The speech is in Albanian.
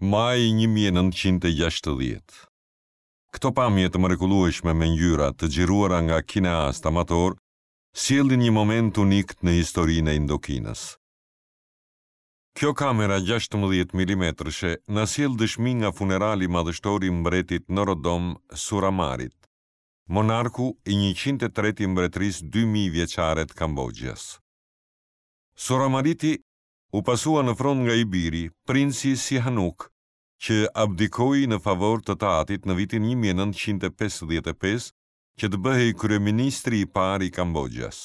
Maji 1960. Këto pamje të mrekullueshme me ngjyra, të xhiruara nga kineastë amatorë, sjellin një moment unik në historinë e Indokinës. Kjo kamera 16 milimetrëshe na sjell dëshmi nga funerali madhështor i mbretit Norodom Suramarit, monarku i 103 i mbretërisë 2000 vjeçare të Kamboxhës. Suramariti u pasua në fron nga i biri, princi Sihanouk, që abdikoi në favor të të atit në vitin 1955 që të bëhej kryeministri i parë i Kamboxhas.